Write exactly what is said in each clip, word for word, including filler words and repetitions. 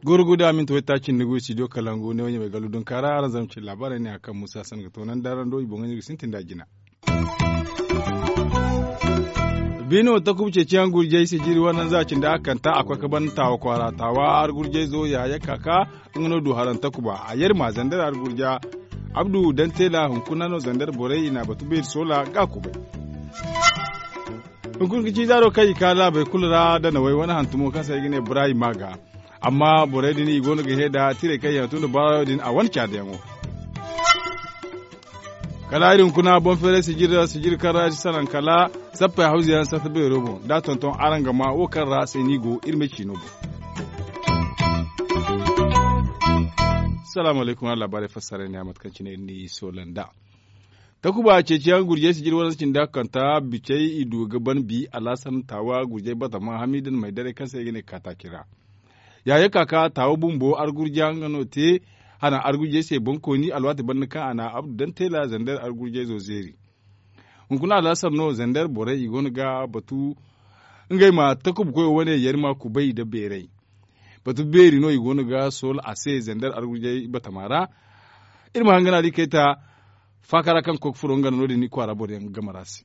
Goro guda minti wayta cindi gu studio kalangu ne wani mai galu dunkara aran zama cin labarai ne a kan musa san ga tonan darando i boŋo ne ga sintin da jina. Bino takubu ceeciyaŋ gurjay sijiri wane za cindi a kanta a koy ka ban tawa kwaara tawa argurjay zo yaya kaka. Nga no du haran takuba a yar ma zandar argurja. Abdu dan tela hunkuna no zandar borey i na batu beeri sola ga kubay. Hunkuna ga ci zaaro kaŋ i ka laabey kulu ra da nawey wane hantumo kaŋ se ay ga ne ibrahim maga. Amma borey din i go no ga he da tirey kaŋ yaŋ tun da baarayo din a wane caadayaŋo. Kala iri hunkuna boŋ feeray sijir sijir kaŋ ra iri salaŋ kala sappey hawza yaŋ sarta beero boŋ da tonton araŋ ga ma wo kaŋ ra se no i go iri ma ciino boŋ. Salaamu alaykum araŋ laabaarey fassaray ne a mate kaŋ cine iri n'i soola nd'a. Takuba ceeciyaŋ gurjay sijir wane sinda kanta bicey i du ga ban bi alaasan taawa gurjay batama hamidan maydaray kaŋ se i ga ne kaataaci ra. Yaaye kaka taawa bumbo argurja nga no te hana argurjay se boŋkooni alwaati banda kaŋ a na abdu daŋ teela zandar argurjay zo zeeri. Hunkuna alhassar no zandar borey i go no ga batu ngey ma takubu koyo wane yari ma kubay nda beeray. Batu beeri no i go no ga sool a se zandar argurjay batama ra. Iri ma hangana di kayta faaka ra kaŋ ga koy ga furo nga no no- din i kwaara boro yaŋ ga gamara se.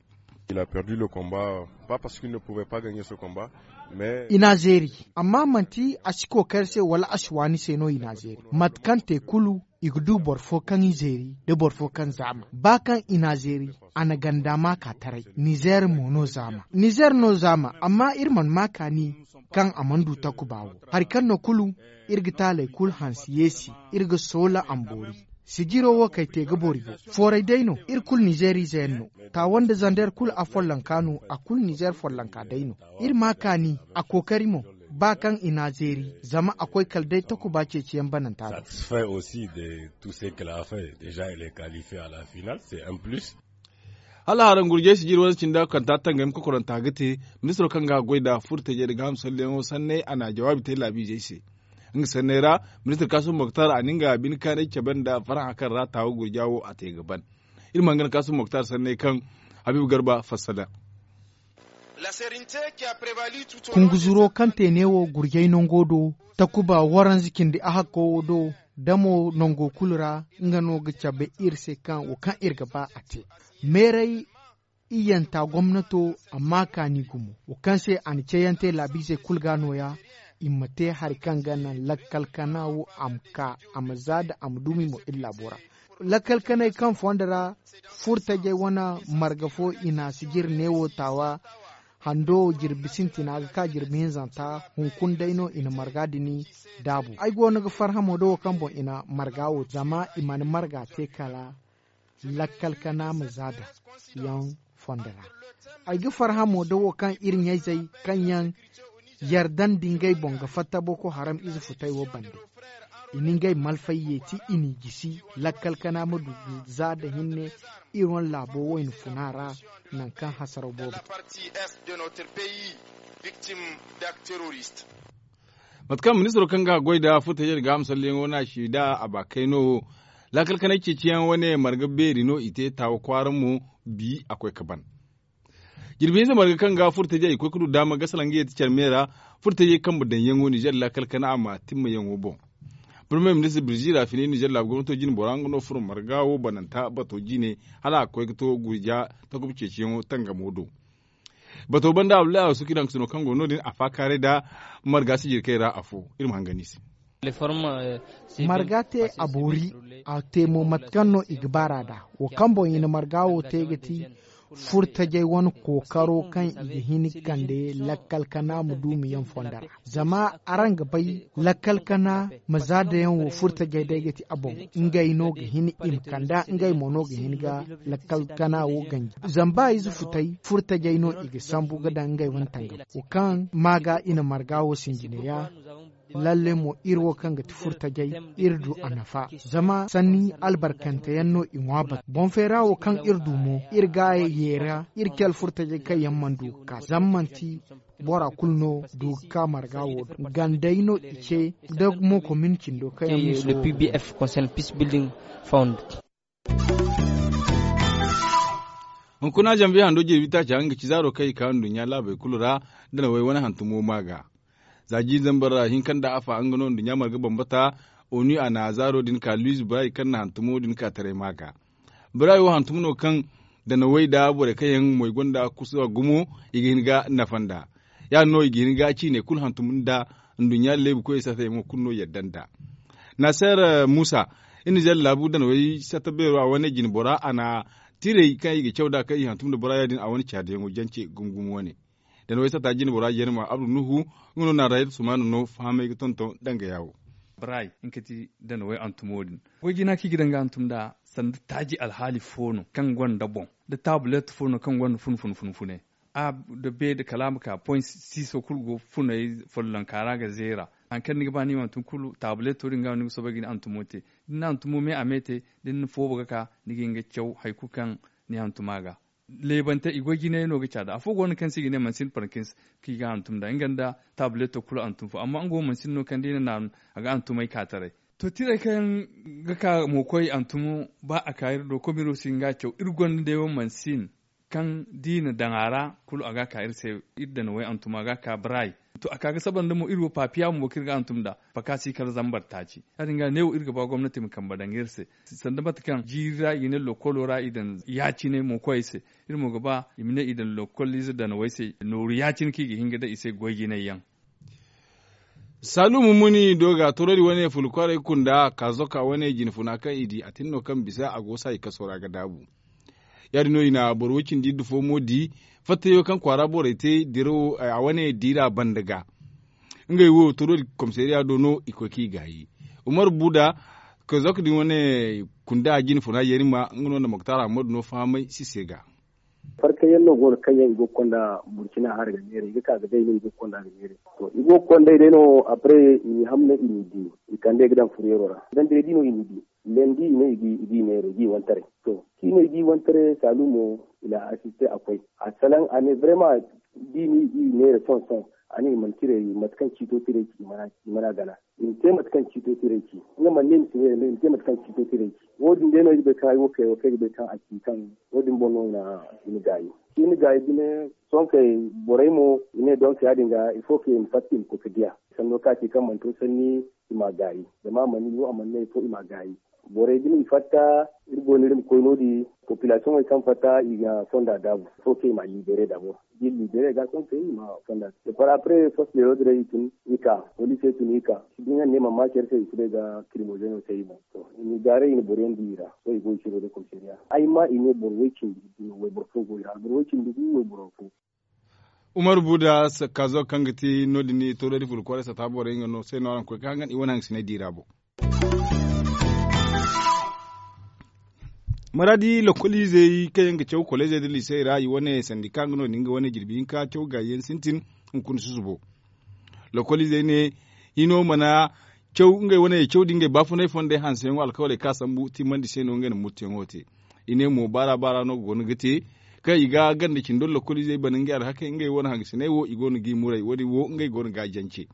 Il a perdu le combat pas parce qu'il ne pouvait pas gagner ce combat. Mais i n'a zeeri amma manti a si kookari se wala a si waani se no i n'a zeeri mate kaŋ te kulu. I ga du boro fo kaŋ i zeeri nda boro fo kaŋ zaama ba kaŋ i n'a zeeri. A na ganda maaka taray nizeer mo no zaama nizeer no zaama amma iri mana maaka ni kaŋ a mana du takuba wo. Hari kaŋ no kulu iri ga taaley kulu hanse yeesi iri ga soola a ma boori. Sijiro wo kay te ga boori boŋ fooray day no iri kulu nizeer ize yaŋ no. Taawa nda zander kulu a follonka no a kulu nizeer follonka day no. Iri ma a kaani a kookari mo ba kaŋ i n'a zeeri zama a koy kala day takuba ceeciyaŋ bananta ra. Satisfait aussi de tout ce qu'il a fait déjà il est qualifié à la finale c'est un plus. Hala haran gurjay sijir wane cinda kanta tangam kokoranta ga te. Ministiro kaŋ ga goy nda furtajey nda gaaham salleyaŋo sanney a na jawaabi te laabiizey se. Nga sanney ra ministir kaasum moktar a na nga bine kaanay cabe nda farhã kaŋ ra taawa gurja wo a te ga ban. Iri ma hangan kaasum moktar sanney kaŋ habiibu garba fassara. Kunguzuro kaŋ te neewo gurjay nango do takuba waranza cindi ahakko wo do. Damo nango kulu ra nga no ga cabe iri se kaŋ wo kaŋ iri ga ba a te. Meeray iyyanta gomnato amma kaani gumo wo kaŋ se a na cayante laabiizey kulu ga nooya. I ma te hari kaŋ ga naŋ lakkal kana wo a ma ka a ma za nda a ma duumi mo iri laabo ra. Lakkal kanay kaŋ fondo ra furtajey wane marga fo i na si jire neewo taawa. Hando jirbi sintina ga ka jirbi hinzanta hunkuna day no i na marga din daabu ay go no ga farhamo da wo kaŋ boŋ i na marga wo zama i mana marga te kala lakkal kana ma za da yaŋ fondo ra. Ay ga farhamo da wo kaŋ iri ɲayzey kaŋ yaŋ yarda nda ngey boŋ ga fatta boko haram ize futay wo bande. I na ngey malfay yeeti i n'i gisi lakkal kana ma du za nda hinne. Iri wane laabo wayna funa ra nangu kaŋ hasaraw boobo te. Mate kaŋ ministiro kaŋ ga goy nda furtajey nda gaaham salleyaŋo no a si nda a ba kayno wo laakal kanay ceeciyaŋ wane marga beeri no i te taawa kwaara mo. Bi a koy ga ban. Jirbi hinza marga kaŋ ga furtajey koy ga du daama ga salaŋ ga yeeti care me ra. Furtajey kambe daŋyaŋo ninzeer laakal kana a ma timmayaŋo boŋ. Premier ministir birzi raafini ninzeer laabu gomnato jine bora nga no furo marga wo bananta bato jine hala a ga koy ga to gurja takuba ceeciyaŋo tangamo do. Bato banda abdullahi a suki daŋ ga sino kaŋ go no- din a faakaaray nda marga sijirkey ra afo. Iri ma hangan i se. Marga te a boori a te mo mate kaŋ no i ga baar'a nd'a. Wo kaŋ boŋ i na marga wo te ga ti furtajey wane kookaro kaŋ i ga hin ga kande lakkal kana ma duumi yaŋ fondo ra. Zama araŋ ga bay lakkal kana ma za dayaŋ wo furtajey day ga ti a boŋ. Ngey no ga hin i ma kand'a ngey mo no ga hin ga lakkal kana wo ganji zama ba ize futay furtajey no i ga sambu ga daŋ ngey wane tangam wo kaŋ ma ga i na marga wo sinjine ya. Lalle mo iri wo kaŋ ga ti furtajey iri du a nafa. Zama sanni albarkante yaŋ no i ŋwa batu boŋ feera wo kaŋ iri du mo iri ga a yeera iri cale furtajey kaŋ yaŋ mana du ga ka zama manti Bora kulu no du ga ka marga wo do gandey no i ce da mo komin cindo kaŋ yaŋ ma sohõ. Pbf concern peace building fund. Hunkuna zambi hando jirbi taaca nga ci zaaro kaŋ i ka nduɲɲa laabey kulu ra, da na way wane hantumo ma ga. Za jiiri zambar ra hinka nda afa nga no nduɲɲa marga bambata. Onu a na zaaro din ka luiz bray kaŋ na hantumo din ka taray ma ga. Bray wo hantum no kaŋ da na way da borey kaŋ yaŋ moy gonda kusa gumo, i ga hin ga nafa nda ya- din no i ga hin ga ciine kulu hantum nda. Nduɲɲa leebu koy sata yaŋo kulu no yadda nda naseer musa. Iri na zella laabu da na way sata beero a wane jine bora a na tiray kaŋ i ga caw nd'a kaŋ i hantum nda bora ya- din a wane caadiyaŋo jance gumo gumo wane. Da na way sata jine bora jeerma abdu nuhu nga no na rayat sumana no fahamay ga tonton danga yaawo. Bray nga ti da na way hantumo din. Goy jina kaŋ i ga daŋ ga hantum nd'a sanda taaji alhaali fo no kaŋ gonda boŋ da taabulet fo no kaŋ gonda fun fun fun fune. A da be da kala a ma ka point siiso kulu go funay follonka ra ga zeera. Hari kaŋ ni ga ba ni ma hantum kulu taabuleto din ga no ni ga soobay ga ni hantumo te. Da ni na hantumo me a me te da ni na foobo ga ka ni ga hin ga caw hari kulu kaŋ ni hantum a ga. Leebante i goy jinay no ga caada afo go no kaŋ se i ga ne mansin parkins kaŋ i ga hantum nd'a nga nda taabuleto kulu hantum fo amma nga wo mansin no kaŋ da i na naanu a ga hantumay ka taray. To tiray kaŋ ga ka mo koy hantumo ba a ka iri do komiro si hin ga a caw iri gonda day wo mansin kaŋ da i na daŋ a ra kulu a ga a ka iri se. Iri daŋ way hantum a ga a ka baraay. To a ka ga saba nda mo iri wo papiya bumbo kaŋ iri ga hantum nd'a fakaasi kala zambar taaci ya- din ga neewo iri ga ba gomnati ma kambe daŋ iri se. Sanda mate kaŋ jiiri ra i ga ne lokkolo ra i daŋ ya- cine mo koyey se. Iri mo ga ba i ma ne i daŋ lokkoliize daŋ way se nooru ya- cine kaŋ i ga hin ga daŋ i se goy jinay yaŋ. Saalu mummuni do ga torodi wane fulu kwaaray kunda kaazoka wane jine funa kaŋ i di a tin no kaŋ bisa a go saayi kaso ra ga daabu. Ya- din no i na boro way cindi iddu fo mo di fattayo kaŋ kwaara borey te dirawo a wane diira banda ga. Ngey wo torodi komisariya do no i koy kaŋ i gaayi. Umar buda kaazoka din wane kunda jine funa yeerima nga no nda moktar ahmadu no fahamay si se ga. Farkay yaŋ no go no kaŋ yaŋ i go ga konda burkina hara ga neera i ga ka ga day no i go ga konda ga neera. To i go ga konday day no apre i n'i hamna i n'i di i kande ga daŋ fureero ra. Zandire di no i n'i di lendi i ne i g'i neera i g'i wantaray. To kaŋ i ne i g'i wantaray saalu mo i na asiste a koy a salaŋ a ne brema. Da i n'i neera sohõ sohõ a ne i mana ciray mate kaŋ ciito tiray ci i mana gana. I ma te mate kaŋ ciito tiray ci nga mana ne i ma si neera me i ma te mate kaŋ ciito tiray ci. Wo- din day no ay ga bay kaŋ ay wo kay wo kaŋ ay ga bay kaŋ a ci kaŋ wo- din boŋ no i na gaayi. Ciini gaayi bine sohõ kay borey mo i ne donk ya- din ga il faut que i ma fatta i ma koy ga diya sanno kaŋ a ci kaŋ mana to sanni i m'a gaayi. Zama a mana i wo a mana ne il faut i m'a gaayi. Borey bine i fatta iri go no iri ma koy no- din populasiyoŋey kaŋ fatta i ga fonda daabu il faut que i m'a libere dabor. Da iri libere ga sohõ kay i ma fonda. Par après poste de l'ordre i tun i ka police tun i ka. Din yaŋ ne mana ma care se i si bay ga kirimoze no se i boŋ. To i na i gaaray i na boro yaŋ di i ra. Sohõ i go i ciro da komisariya ay ma i ne boro way cindi wayboro fo go i ra boro way cindi gu wayboro fo. Umar buda kaazo kaŋ ga ti no- din i torodi fulu kwaray sata borey nga no se no araŋ koy ga hangan i wane hangasinay di ra boŋ. Maraadi lokoliizey kaŋ yaŋ ga caw koleezey nda liisey ra i wane sandika nga no- din nga wane jirbi hinka caw gaayi yaŋ sintin. Hunkuna susubo lokoliizey ne hino mana caw ngey wane caw da ngey baafunay fondey hanseyaŋo alkawaley kaŋ a sambu timmandi se no ngey na murtuyaŋo te. I ne mo baara baara no go no ga te kaŋ i ga ganda cindo lokoliizey bana ngey alhakey ngey wane hangasiney wo i go no g'i muray wo- din wo ngey go no g'a jance.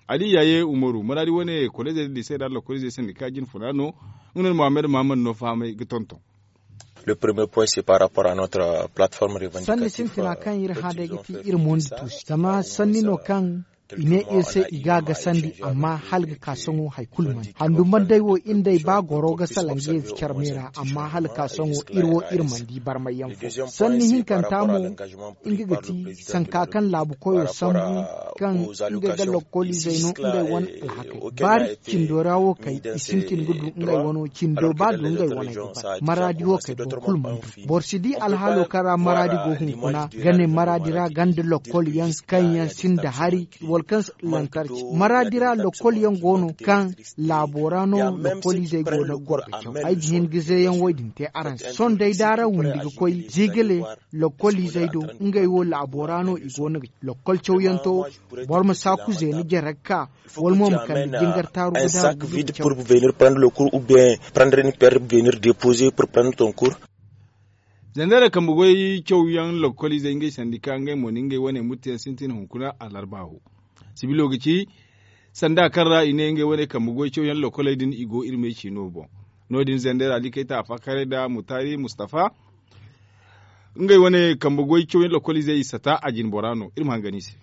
Ali yaaye umaru maraadi wane koleezey nda liisey ra lokoliizey sandika jine funa no. Nga no muhammad muhammad no fahamay ga tonton. Sanni sintina kaŋ iri hã day ga ti iri mondi tuusi zama sanni no kaŋ i ne iri se i ga a gasandi amma hala ga ka sohõ hari kulu mana handu manday wo iri nd'ey ba goro ga salaŋ ga yeezi care me ra amma hala ka sohõ iri wo iri mana di barmayyaŋ fo. Sanni hinkanta mo nga ga ti sanka kaŋ laabu koyo sambu kaŋ ngey ga lokkoliizey no ngey wane alhakey baari cindo ra wo kay i sintin ga du ngey wano cindo ba du ngey waney ga bara maraadi wo kay boro kulu mana du. Boro si di alhaalo kaŋ ra maraadi go hunkuna ga ne maraadi ra ganda lokkol yaŋ kaŋ yaŋ sinda hari wala kaŋ lantarci maraadi ra lokkol yaŋ go no kaŋ laabo ra no lokkoliizey go no ga goro ga caw ay ga hin ga zeeyaŋ wo- din te araŋ se sohõ day da araŋ windi ga koy ziigale lokkoliizey do ngey wo laabo ra no i go no ga lakkol cawyanto boro ma saaku zeena jare ga ka wala mo ma kande jingar taaru ga daabu ga caw. Venir prendre le cours ou bien prendre une paire venir déposer pour prendre ton cours. Zandara kambe goy cawyaŋ lokoliizey ngey sandika ngey mo na ngey wane mutteyaŋ sintin hunkuna alarba wo. Sibilo ga ci sanda kaŋ ra i ne ngey wane kambe goy cawyaŋ lokoley din i go iri me ciino boŋ. No- din zandara ali kayta a faakaray nda mutaari mustafa. Ngey wane kambe goy cawyaŋ lokoliizey i sata a jine bora no iri ma hangan i se.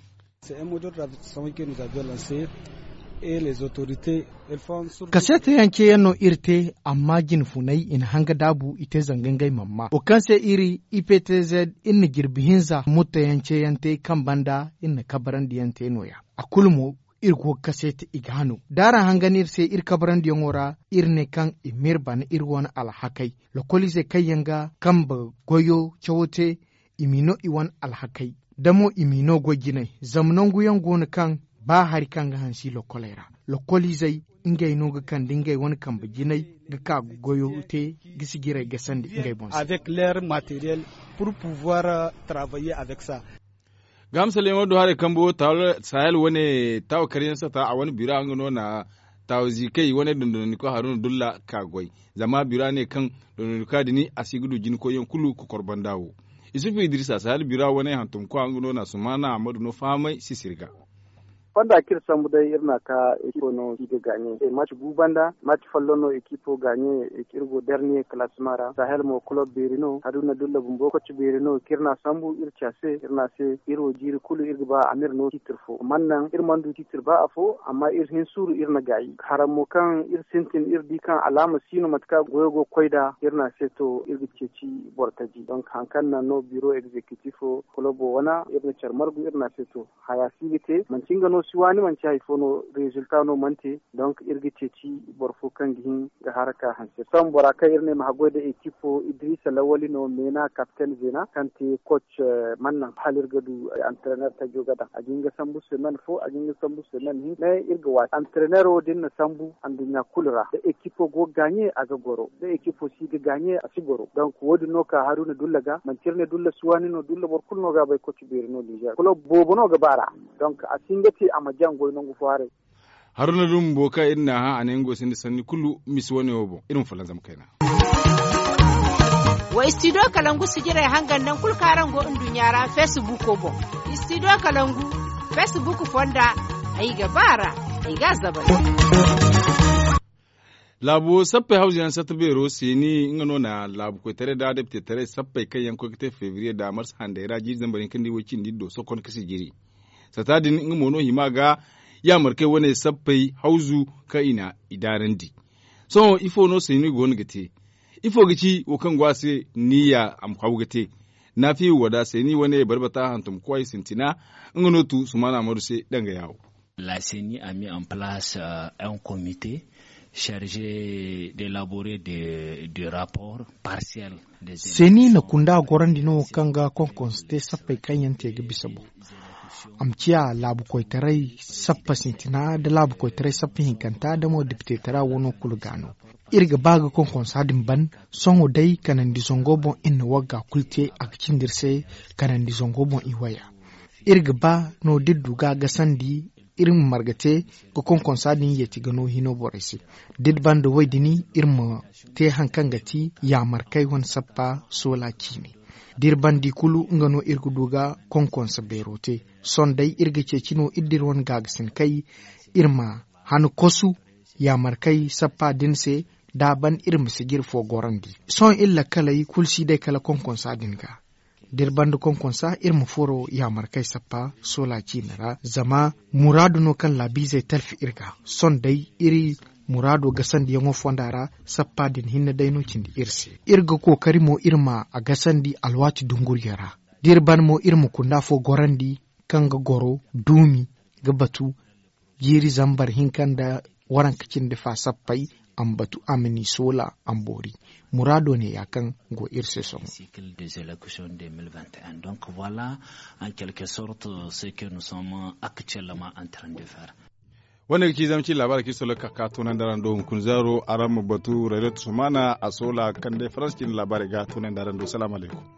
Kaseeta yaŋ ceeyaŋ no iri te amma jinfunay i na hanga daabu i te zanga ngey mana ma wo kaŋ se iri i p t z iri na jirbi hinza mutteyaŋ ceeyaŋ te kaŋ banda iri na kabarandi yaŋ te no- ya. A kulu mo iri go ga kaseeta i ga no da araŋ hangan iri se iri kabarandiyaŋo ra iri ne kaŋ i m'iri bana iri wane alhakey lokoliizey kaŋ yaŋ ga kambe goyo cawo te i m'i no i wane alhakey da mo i m'i no goy jinay zama nangu yaŋ go no kaŋ ba hari kaŋ ga hansi lokkoley ra. Lokkoliizey ngey no ga kande ngey wane kambe jinay ga ka ga goyo te ga sijirey gasandi ngey boŋ se. Ga hamsalayaŋo do haray kambo sahel wane taawa karyaŋ sata a wane bira nga no na taawa ziikey wane dondonandiko haruna dulla ka goy. Zama bira ne kaŋ dondonandika din a si ga du jinkoyyaŋ kulu kokor banda wo. Isufu idirisa sahel bira wane hantumkwa nga no na sumaana ammadu no fahamay sisiri ga. Fonda kaŋ iri sambu day iri na ka ekipo no i ga gaaɲe maci gu banda maci folloŋ no ekipo gaaɲe. Iri go darniye kalaasima ra sahel mo kulob beeri no haruna dulla bumbo koci beeri no kaŋ iri na sambu iri ci a se iri na se iri wo jiiri kulu iri ga ba a ma iri no tiitir fo mana naŋ iri mana du tiitir ba afo amma iri hin suuru iri na gaayi haraŋ mo kaŋ iri sintin iri di kaŋ alaama si no mate kaŋ goyo go ga koy nd'a iri ne a se to iri ga ceeci boro taji donk hari kaŋ naŋ no biro egzekitifo kulobo wane iri na care margu iri ne a se to haya si ga te manti nga no si waani manti hari fo no rezilta no mana te. Donk iri ga ceeci boro fo kaŋ ga hin ga haraka hanse sohõ bora kaŋ iri ne ma haggoy nda ekipo idrisa lawali no meena kapten zeena kaŋ te koc mana naŋ hala iri ga du antrener tajo ga daŋ a ga hin ga sambu semen fo a ga hin ga sambu semen hinka ne iri ga waati antrenero da iri na sambu anduɲɲa kulu ra da ekipo go ga gaaɲe a ga goro da ekipo si ga gaaɲe a si goro donk wo- din no ka haruna dulla ga manti iri ne dulla si waani no dulla boro kulu no ga a bay koc beeri no nizer kulob boobo no ga ba a ra. Donk a si hin ga te a ma jaŋ goy nangu fo haray. Haruna dumbo kaŋ iri n'a hã a ne nga wo sinda sanni kulu misi wane wo boŋ iri ma folloŋ zama kayna. Wa istidiyo kalangu sijirey hangan naŋ kulu kaŋ araŋ go nduɲɲa ra feesibuko boŋ. Istidiyo kalangu feesibuko fonda ay ga ba a ra ay ga a zabay. Laabu sappey hawzu yaŋ satta beero seeni nga no na laabu koytaray nda depitetaray sappey kaŋ yaŋ koy ga te febriye nda marsa handay ra jiiri zambar hinka nda iway cindi do sokon ka sijiri. Sata din nga mo no hima ga yaamarkey wane sappey hawzu kaŋ i na i daarandi. Sohõ ifo no seeni go no ga te? Ifo ga ci wo kaŋ go a se niya a ma haw ga te? Naafiya wada seeni wane barbata hantumkoy sintina nga no tu sumaana amadu se danga yaawo. La seni a mis en place un comite charge d'élaborer de rapport partiel. Seeni na kunda gorandi no kaŋ ga konkonso te sappey kaŋ yaŋ te ga bisa boŋ. A ma ciya laabu koytaray sappa sintina nda laabu koytaray sappa hinkanta nda mo depite tara wano kulu ga no. Iri ga ba ga konkonsa din ban sohõ day kanandi zango boŋ iri na wagga kulu te a ga cindi iri se kanandi zango boŋ i waya. Iri ga ba no da iri du ga a gasandi iri ma marga te ga konkonsa din yeeti ga no hino borey se. Da iri banda woy din iri ma te hari kaŋ ga ti yaamarkey wane sappa soola ciine. Da iri banda i kulu nga no iri ga du ga konkonsa beero te. Sohõ day iri ga ceeci no iri da iri wane gaagasin kay iri ma han kosu yaamarkey sappa din se. Da a ban iri ma sijiri fo gorandi sohõ iri lakkaley kulu si day kala konkonsa din ga. Da iri banda konkonsa iri ma furo yaamarkey sappa soola ciine ra zama muraadu no kaŋ laabiizey talfi iri ga. Sohõ day iri muraado gasandiyaŋo fonda ra sappa din hinne day no cindi iri se. Iri ga kookari mo iri ma a gasandi alwaati dunguriyo ra. Da iri ban mo iri ma kunda fo gorandi kaŋ ga goro duumi ga batu jiiri zambar hinka nda waranka cindi fa sappey a ma batu a ma ni soola a ma boori. Muraado ne ya kaŋ go iri se sohõ. Cycle des élections deux mille vingt et un donc voilà en quelque sorte ce que nous sommes actuellement en train de faire. Wane ga ci zama ci laabaari kaŋ iri solo ga ka ka toonandi araŋ do hunkuna zaaro araŋ ma batu rayra tusumana a soola kaŋ day faransa cine laabaari ga toonandi araŋ do salaamu alaykum.